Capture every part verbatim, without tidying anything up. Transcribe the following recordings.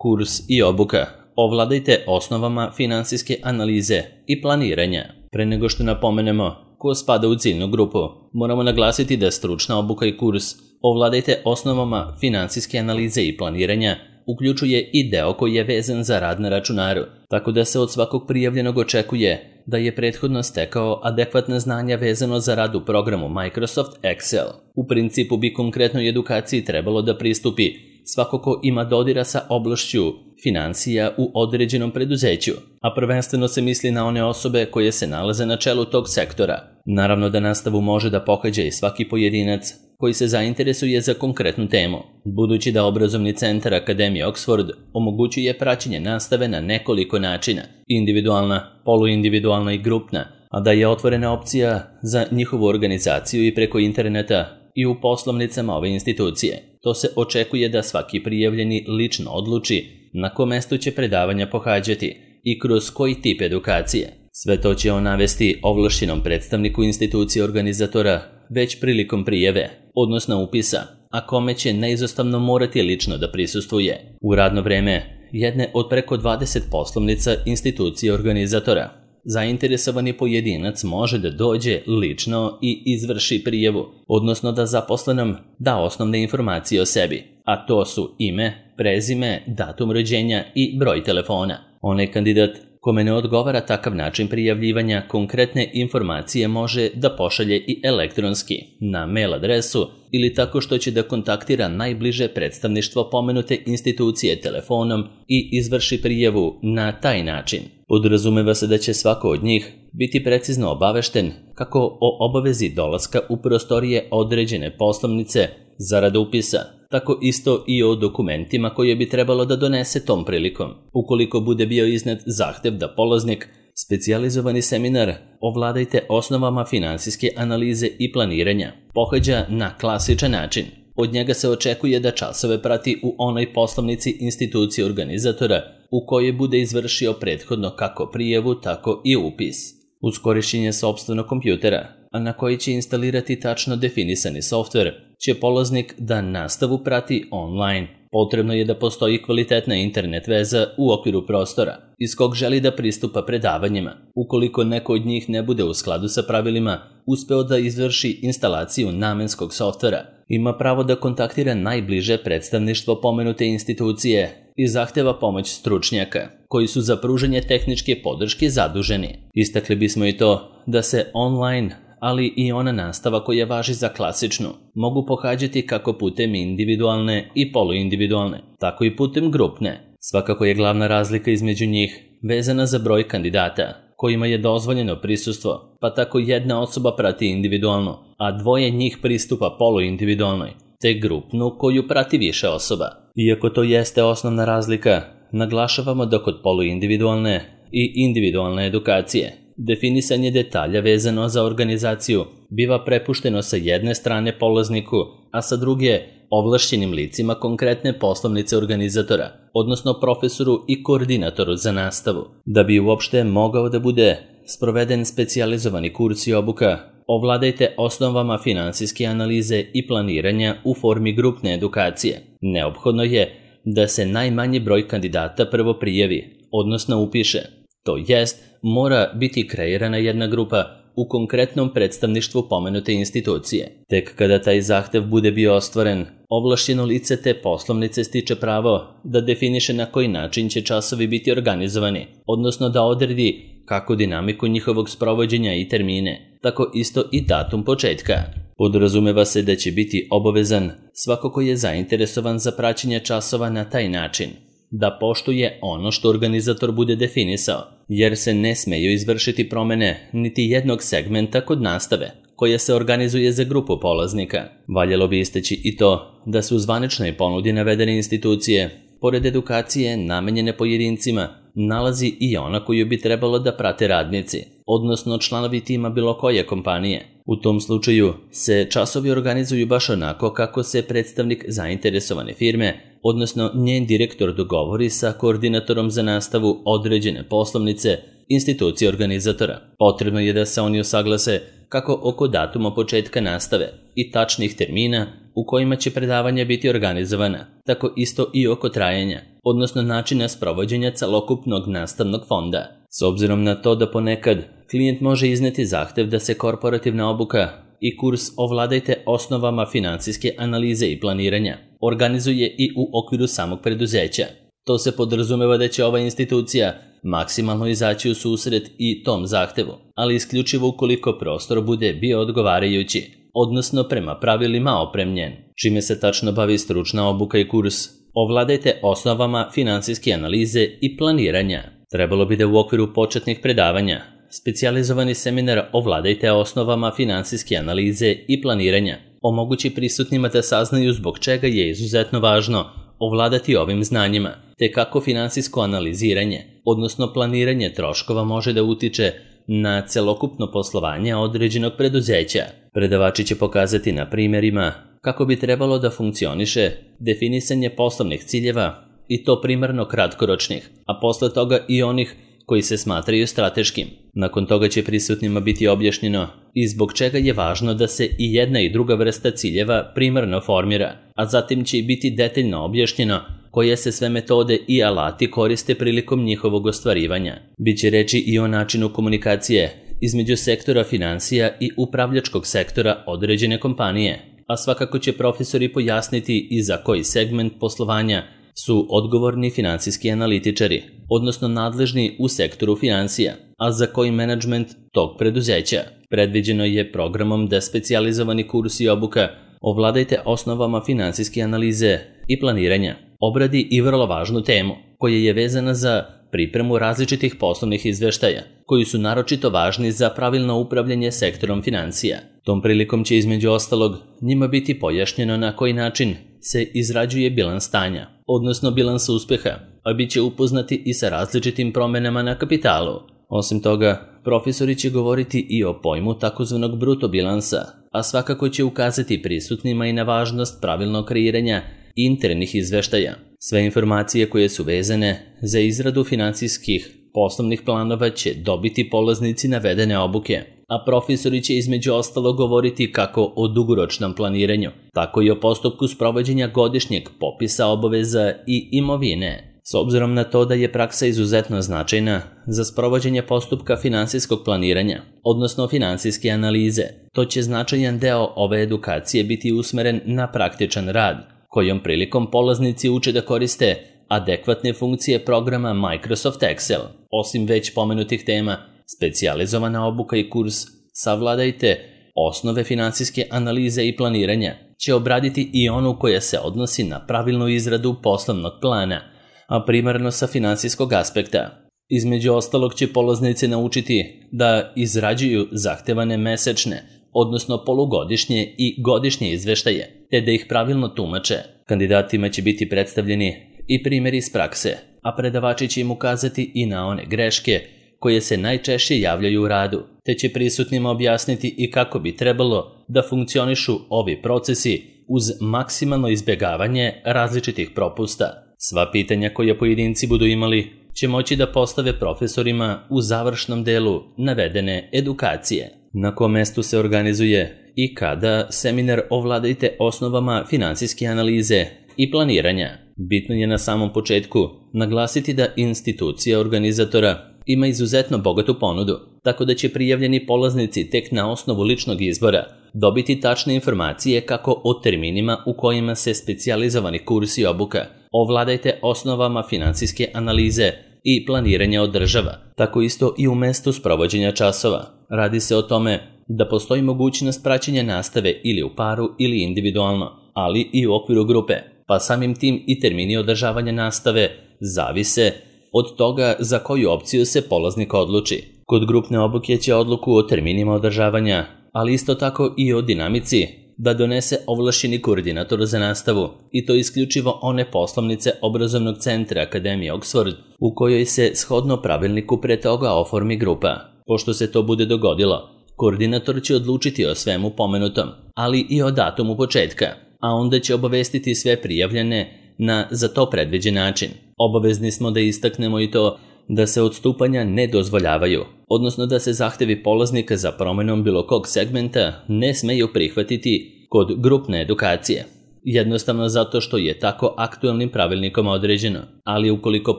Kurs i obuka. Ovladajte osnovama finansijske analize i planiranja. Pre nego što napomenemo ko spada u ciljnu grupu, moramo naglasiti da stručna obuka i kurs Ovladajte osnovama finansijske analize i planiranja uključuje i deo koji je vezan za rad na računaru, tako da se od svakog prijavljenog očekuje da je prethodno stekao adekvatna znanja vezano za rad u programu Microsoft Excel. U principu bi konkretnoj edukaciji trebalo da pristupi svako ko ima dodira sa oblašću finansija u određenom preduzeću, a prvenstveno se misli na one osobe koje se nalaze na čelu tog sektora. Naravno da nastavu može da pohađa i svaki pojedinac koji se zainteresuje za konkretnu temu, budući da obrazovni centar Akademije Oxford omogućuje praćenje nastave na nekoliko načina, individualna, poluindividualna i grupna, a da je otvorena opcija za njihovu organizaciju i preko interneta i u poslovnicama ove institucije. To se očekuje da svaki prijavljeni lično odluči na kom mestu će predavanja pohađati i kroz koji tip edukacije. Sve to će on navesti ovlašćenom predstavniku institucije organizatora već prilikom prijave, odnosno upisa, a kome će neizostavno morati lično da prisustvuje u radno vreme jedne od preko dvadeset poslovnica institucije organizatora. Zainteresovani pojedinac može da dođe lično i izvrši prijavu, odnosno da zaposlenom da osnovne informacije o sebi, a to su ime, prezime, datum rođenja i broj telefona. Onaj kandidat kome ne odgovara takav način prijavljivanja, konkretne informacije može da pošalje i elektronski na mail adresu ili tako što će da kontaktira najbliže predstavništvo pomenute institucije telefonom i izvrši prijavu na taj način. Podrazumeva se da će svako od njih biti precizno obavešten kako o obavezi dolaska u prostorije određene poslovnice zarad upisa, tako isto i o dokumentima koje bi trebalo da donese tom prilikom. Ukoliko bude bio iznet zahtev da polaznik specijalizovani seminar Ovladajte osnovama finansijske analize i planiranja pohađa na klasičan način, od njega se očekuje da časove prati u onoj poslovnici institucije organizatora u kojoj bude izvršio prethodno kako prijavu, tako i upis. Uz korišćenje sopstvenog kompjutera, a na koji će instalirati tačno definisani softver, će polaznik da nastavu prati online. Potrebno je da postoji kvalitetna internet veza u okviru prostora iz kog želi da pristupa predavanjima. Ukoliko neko od njih ne bude u skladu sa pravilima uspeo da izvrši instalaciju namenskog softvera, ima pravo da kontaktira najbliže predstavništvo pomenute institucije i zahteva pomoć stručnjaka koji su za pružanje tehničke podrške zaduženi. Istakli bismo i to da se online, ali i ona nastava koja važi za klasičnu, mogu pohađati kako putem individualne i poluindividualne, tako i putem grupne. Svakako je glavna razlika između njih vezana za broj kandidata kojima je dozvoljeno prisustvo, pa tako jedna osoba prati individualno, a dvoje njih pristupa poluindividualnoj, te grupnu koju prati više osoba. Iako to jeste osnovna razlika, naglašavamo da kod poluindividualne i individualne edukacije definisanje detalja vezano za organizaciju biva prepušteno sa jedne strane polazniku, a sa druge ovlašćenim licima konkretne poslovnice organizatora, odnosno profesoru i koordinatoru za nastavu. Da bi uopšte mogao da bude sproveden specijalizovani kurs i obuka, ovladajte osnovama finansijske analize i planiranja u formi grupne edukacije. Neophodno je da se najmanji broj kandidata prvo prijavi, odnosno upiše. To jest, mora biti kreirana jedna grupa u konkretnom predstavništvu pomenute institucije. Tek kada taj zahtev bude bio ostvaren, ovlašćeno lice te poslovnice stiče pravo da definiše na koji način će časovi biti organizovani, odnosno da odredi kako dinamiku njihovog sprovođenja i termine, tako isto i datum početka. Podrazumeva se da će biti obavezan svako ko je zainteresovan za praćenje časova na taj način, da poštuje ono što organizator bude definisao, jer se ne smeju izvršiti promene niti jednog segmenta kod nastave, koja se organizuje za grupu polaznika. Valjalo bi istaći i to da su u zvaničnoj ponudi navedene institucije, pored edukacije namenjene pojedincima, nalazi i ona koju bi trebalo da prate radnici, odnosno članovi tima bilo koje kompanije. U tom slučaju se časovi organizuju baš onako kako se predstavnik zainteresovane firme, odnosno njen direktor dogovori sa koordinatorom za nastavu određene poslovnice institucije organizatora. Potrebno je da se oni usaglase kako oko datuma početka nastave i tačnih termina u kojima će predavanja biti organizovana, tako isto i oko trajanja. odnosno načina sprovođenja celokupnog nastavnog fonda. S obzirom na to da ponekad klijent može izneti zahtev da se korporativna obuka i kurs Ovladajte osnovama finansijske analize i planiranja organizuje i u okviru samog preduzeća. To se podrazumeva da će ova institucija maksimalno izaći u susret i tom zahtevu, ali isključivo ukoliko prostor bude bio odgovarajući, odnosno prema pravilima opremljen. Čime se tačno bavi stručna obuka i kurs Ovladajte osnovama finansijske analize i planiranja? Trebalo bi da u okviru početnih predavanja specijalizovani seminar Ovladajte osnovama finansijske analize i planiranja omogući prisutnima da saznaju zbog čega je izuzetno važno ovladati ovim znanjima, te kako finansijsko analiziranje, odnosno planiranje troškova može da utiče na celokupno poslovanje određenog preduzeća. Predavači će pokazati na primjerima kako bi trebalo da funkcioniše definisanje poslovnih ciljeva, i to primarno kratkoročnih, a posle toga i onih koji se smatraju strateškim. Nakon toga će prisutnima biti objašnjeno i zbog čega je važno da se i jedna i druga vrsta ciljeva primarno formira, a zatim će i biti detaljno objašnjeno koje se sve metode i alati koriste prilikom njihovog ostvarivanja. Biće reči i o načinu komunikacije između sektora financija i upravljačkog sektora određene kompanije, a svakako će profesori pojasniti i za koji segment poslovanja su odgovorni finansijski analitičari, odnosno nadležni u sektoru financija, a za koji menadžment tog preduzeća. Predviđeno je programom da specijalizovani kurs i obuka Ovladajte osnovama finansijske analize i planiranja obradi i vrlo važnu temu, koja je vezana za pripremu različitih poslovnih izveštaja, koji su naročito važni za pravilno upravljanje sektorom financija. Tom prilikom će između ostalog njima biti pojašnjeno na koji način se izrađuje bilans stanja, odnosno bilans uspeha, a bit će upoznati i sa različitim promenama na kapitalu. Osim toga, profesori će govoriti i o pojmu takozvanog bruto bilansa, a svakako će ukazati prisutnima i na važnost pravilnog kreiranja internih izveštaja. Sve informacije koje su vezane za izradu finansijskih poslovnih planova će dobiti polaznici navedene obuke, a profesori će između ostalo govoriti kako o dugoročnom planiranju, tako i o postupku sprovođenja godišnjeg popisa obaveza i imovine. S obzirom na to da je praksa izuzetno značajna za sprovođenje postupka finansijskog planiranja, odnosno finansijske analize, to će značajan deo ove edukacije biti usmeren na praktičan rad, kojom prilikom polaznici uče da koriste adekvatne funkcije programa Microsoft Excel. Osim već pomenutih tema, specijalizovana obuka i kurs Savladajte osnove finansijske analize i planiranja će obraditi i onu koja se odnosi na pravilnu izradu poslovnog plana, a primarno sa finansijskog aspekta. Između ostalog će polaznici naučiti da izrađuju zahtevane mesečne, odnosno polugodišnje i godišnje izveštaje, te da ih pravilno tumače. Kandidatima će biti predstavljeni i primjeri iz prakse, a predavači će im ukazati i na one greške koje se najčešće javljaju u radu, te će prisutnima objasniti i kako bi trebalo da funkcionišu ovi procesi uz maksimalno izbjegavanje različitih propusta. Sva pitanja koja pojedinci budu imali će moći da postave profesorima u završnom delu navedene edukacije. Na kom mestu se organizuje i kada seminar Ovladajte osnovama finansijske analize i planiranja? Bitno je na samom početku naglasiti da institucija organizatora ima izuzetno bogatu ponudu, tako da će prijavljeni polaznici tek na osnovu ličnog izbora dobiti tačne informacije kako o terminima u kojima se specijalizovani kurs i obuka Ovladajte osnovama finansijske analize i planiranja održava, tako isto i u mestu sprovođenja časova. Radi se o tome da postoji mogućnost praćenja nastave ili u paru ili individualno, ali i u okviru grupe, pa samim tim i termini održavanja nastave zavise od toga za koju opciju se polaznik odluči. Kod grupne obuke će odluku o terminima održavanja, ali isto tako i o dinamici, da donese ovlašćeni koordinator za nastavu, i to isključivo one poslovnice obrazovnog centra Akademije Oxford u kojoj se shodno pravilniku pre toga oformi grupa. Pošto se to bude dogodilo, koordinator će odlučiti o svemu pomenutom, ali i o datumu početka, a onda će obavestiti sve prijavljene na za to predviđen način. Obavezni smo da istaknemo i to da se odstupanja ne dozvoljavaju, odnosno da se zahtevi polaznika za promenom bilo kog segmenta ne smeju prihvatiti kod grupne edukacije. jednostavno zato što je tako aktuelnim pravilnikom određeno, ali ukoliko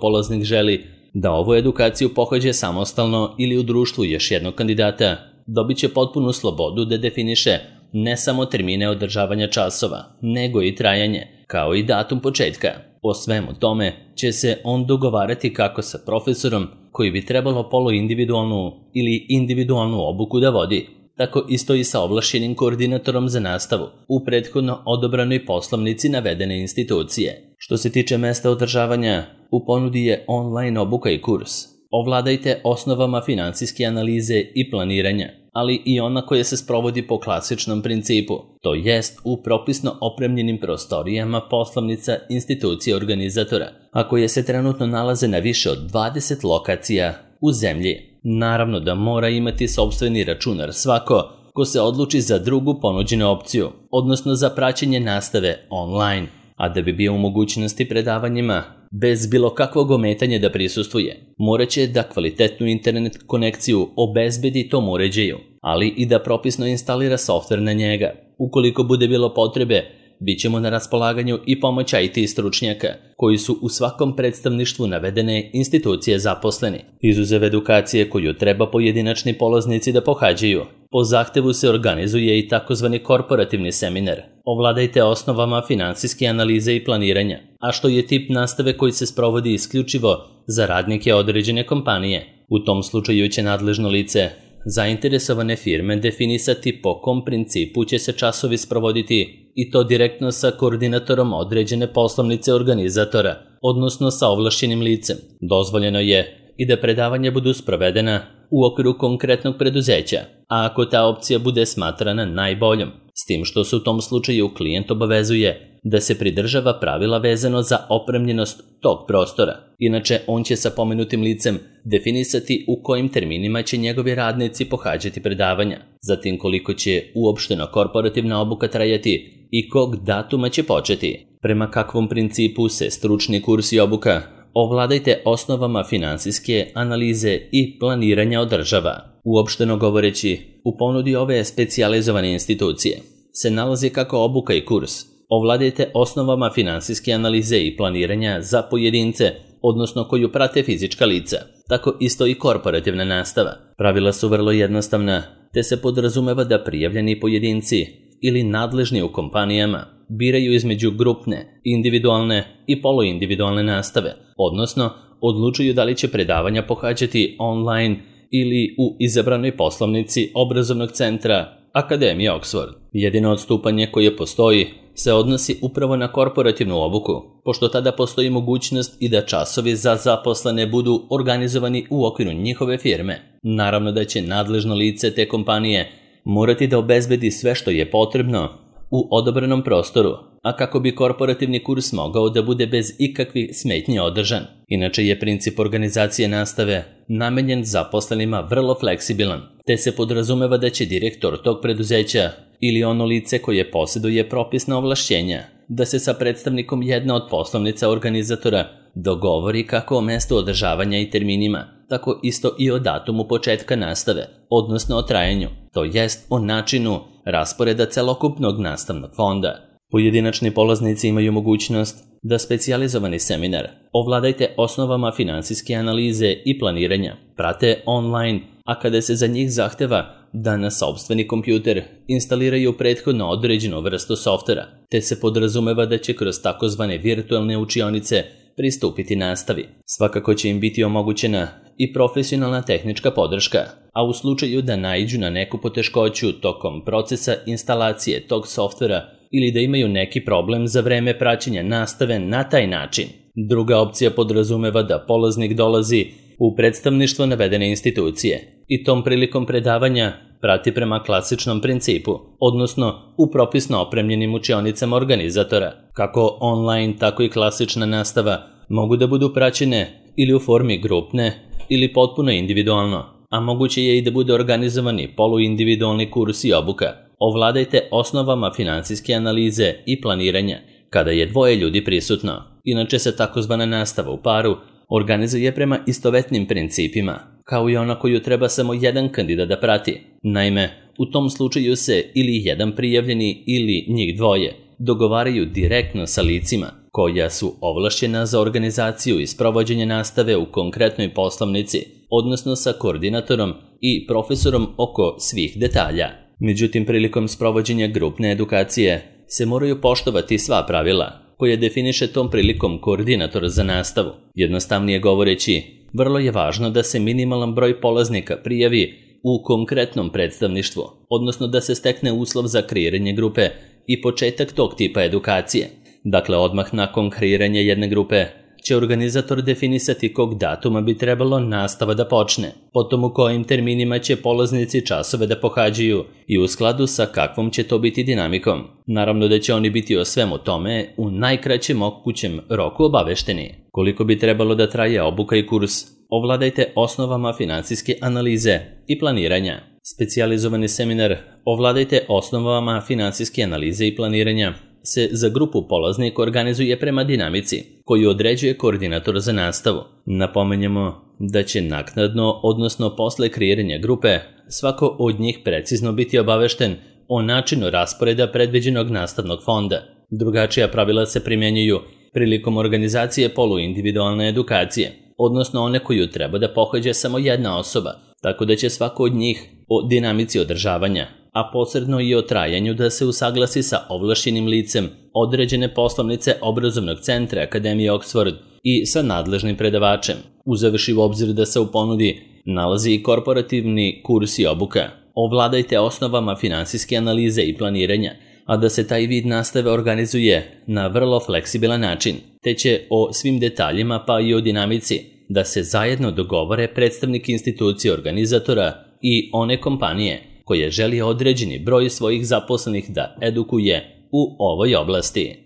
polaznik želi da ovu edukaciju pohađa samostalno ili u društvu još jednog kandidata, dobit će potpunu slobodu da definiše ne samo termine održavanja časova, nego i trajanje, kao i datum početka. O svemu tome će se on dogovarati kako sa profesorom koji bi trebalo poluindividualnu ili individualnu obuku da vodi, tako isto i sa ovlašćenim koordinatorom za nastavu u prethodno odobranoj poslovnici navedene institucije. Što se tiče mesta održavanja, u ponudi je online obuka i kurs. Ovladajte osnovama finansijske analize i planiranja, ali i ona koja se sprovodi po klasičnom principu, to jest u propisno opremljenim prostorijama poslovnica institucije organizatora, a koje se trenutno nalaze na više od dvadeset lokacija u zemlji. Naravno da mora imati sopstveni računar svako ko se odluči za drugu ponuđenu opciju, odnosno za praćenje nastave online, a da bi bio u mogućnosti predavanjima bez bilo kakvog ometanja da prisustvuje, moraće da kvalitetnu internet konekciju obezbedi tom uređaju, ali i da propisno instalira softver na njega. Ukoliko bude bilo potrebe, bit ćemo na raspolaganju i pomoć I T stručnjaka, koji su u svakom predstavništvu navedene institucije zaposleni. Izuzev edukacije koju treba pojedinačni polaznici da pohađaju, po zahtevu se organizuje i takozvani korporativni seminar. Ovladajte osnovama finansijske analize i planiranja, a što je tip nastave koji se sprovodi isključivo za radnike određene kompanije. U tom slučaju će nadležno lice zainteresovane firme definisati po kom principu će se časovi sprovoditi i to direktno sa koordinatorom određene poslovnice organizatora, odnosno sa ovlašćenim licem. Dozvoljeno je i da predavanja budu sprovedena u okviru konkretnog preduzeća, a ako ta opcija bude smatrana najboljom, s tim što se u tom slučaju klijent obavezuje da se pridržava pravila vezano za opremljenost tog prostora. Inače, on će sa pomenutim licem definisati u kojim terminima će njegovi radnici pohađati predavanja, zatim koliko će uopšteno korporativna obuka trajati i kog datuma će početi. Prema kakvom principu se stručni kurs i obuka ovladajte osnovama finansijske analize i planiranja održava. Uopšteno govoreći, u ponudi ove specijalizovane institucije se nalazi kako obuka i kurs ovladajte osnovama finansijske analize i planiranja za pojedince, odnosno koju prate fizička lica, tako isto i korporativna nastava. Pravila su vrlo jednostavna, te se podrazumeva da prijavljeni pojedinci ili nadležni u kompanijama biraju između grupne, individualne i poluindividualne nastave, odnosno odlučuju da li će predavanja pohađati online ili u izabranoj poslovnici obrazovnog centra Akademije Oxford. Jedino odstupanje koje postoji se odnosi upravo na korporativnu obuku, pošto tada postoji mogućnost i da časovi za zaposlene budu organizovani u okviru njihove firme. Naravno da će nadležno lice te kompanije morati da obezbedi sve što je potrebno u odobrenom prostoru, a kako bi korporativni kurs mogao da bude bez ikakvih smetnji održan. Inače je princip organizacije nastave namenjen zaposlenima vrlo fleksibilan, te se podrazumeva da će direktor tog preduzeća ili ono lice koje posjeduje propisna ovlašćenja da se sa predstavnikom jedne od poslovnica organizatora dogovori kako o mestu održavanja i terminima, tako isto i o datumu početka nastave, odnosno o trajanju, to jest o načinu rasporeda celokupnog nastavnog fonda. Pojedinačni polaznici imaju mogućnost da specijalizovani seminar ovladajte osnovama finansijske analize i planiranja prate online, a kada se za njih zahteva da na sopstveni kompjuter instaliraju prethodno određenu vrstu softvera, te se podrazumeva da će kroz takozvane virtualne učionice pristupiti nastavi. Svakako će im biti omogućena i profesionalna tehnička podrška, a u slučaju da naiđu na neku poteškoću tokom procesa instalacije tog softvera ili da imaju neki problem za vreme praćenja nastave na taj način. Druga opcija podrazumeva da polaznik dolazi u predstavništvo navedene institucije i tom prilikom predavanja prati prema klasičnom principu, odnosno u propisno opremljenim učionicama organizatora. Kako online, tako i klasična nastava mogu da budu praćene ili u formi grupne ili potpuno individualno, a moguće je i da bude organizovani poluindividualni kurs i obuka. Ovladajte osnovama finansijske analize i planiranja kada je dvoje ljudi prisutno. Inače se takozvana nastava u paru organizuje prema istovetnim principima, kao i ona koju treba samo jedan kandidat da prati. Naime, u tom slučaju se ili jedan prijavljeni ili njih dvoje dogovaraju direktno sa licima koja su ovlašćena za organizaciju i sprovođenje nastave u konkretnoj poslovnici, odnosno sa koordinatorom i profesorom oko svih detalja. Međutim, prilikom sprovođenja grupne edukacije se moraju poštovati sva pravila koje definiše tom prilikom koordinator za nastavu. Jednostavnije govoreći, vrlo je važno da se minimalan broj polaznika prijavi u konkretnom predstavništvu, odnosno da se stekne uslov za kreiranje grupe i početak tog tipa edukacije. Dakle, odmah nakon kreiranja jedne grupe će organizator definisati kog datuma bi trebalo nastava da počne, potom u kojim terminima će polaznici časove da pohađaju i u skladu sa kakvom će to biti dinamikom. Naravno da će oni biti o svemu tome u najkraćem mogućem roku obavešteni. Koliko bi trebalo da traje obuka i kurs, ovladajte osnovama finansijske analize i planiranja. Specijalizovani seminar Ovladajte osnovama finansijske analize i planiranja se za grupu polaznika organizuje prema dinamici koju određuje koordinator za nastavu. Napomenjamo da će naknadno, odnosno posle kreiranja grupe, svako od njih precizno biti obavešten o načinu rasporeda predviđenog nastavnog fonda. Drugačija pravila se primjenjuju prilikom organizacije poluindividualne edukacije, odnosno one koju treba da pohađa samo jedna osoba, tako da će svako od njih o dinamici održavanja, a posredno i o trajanju da se usaglasi sa ovlašćenim licem određene poslovnice obrazovnog centra Akademije Oxford i sa nadležnim predavačem, uzevši u obzir da se u ponudi nalazi i korporativni kurs i obuka. Ovladajte osnovama finansijske analize i planiranja, a da se taj vid nastave organizuje na vrlo fleksibilan način, te će o svim detaljima pa i o dinamici da se zajedno dogovore predstavnik institucije organizatora i one kompanije koje želi određeni broj svojih zaposlenih da edukuje u ovoj oblasti.